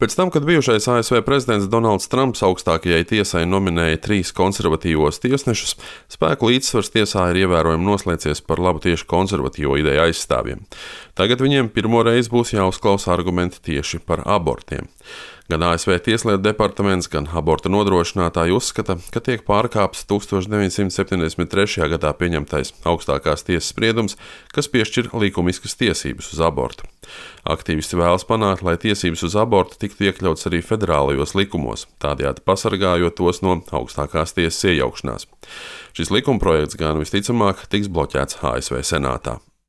Pēc tam, kad bijušais ASV prezidents Donalds Trumps augstākajai tiesai nominēja 3 konservatīvos tiesnešus, spēku līdzsvars tiesā ir ievērojami noslēdzies par labu tieši konservatīvo ideju aizstāvjiem. Tagad viņiem pirmo reizi būs jāuzklausa argumenti tieši par abortiem. Gan ASV Tieslietu departaments, gan aborta nodrošinātāji uzskata, ka tiek pārkāpts 1973. gadā pieņemtais augstākās tiesas spriedums, kas piešķir likumiskas tiesības uz abortu. Aktīvisti vēlas panākt, lai tiesības uz abortu tiktu iekļauts arī federālajos likumos, tādējādi pasargājot tos no augstākās tiesas iejaukšanās. Šis likumprojekts gan visticamāk tiks bloķēts ASV Senātā.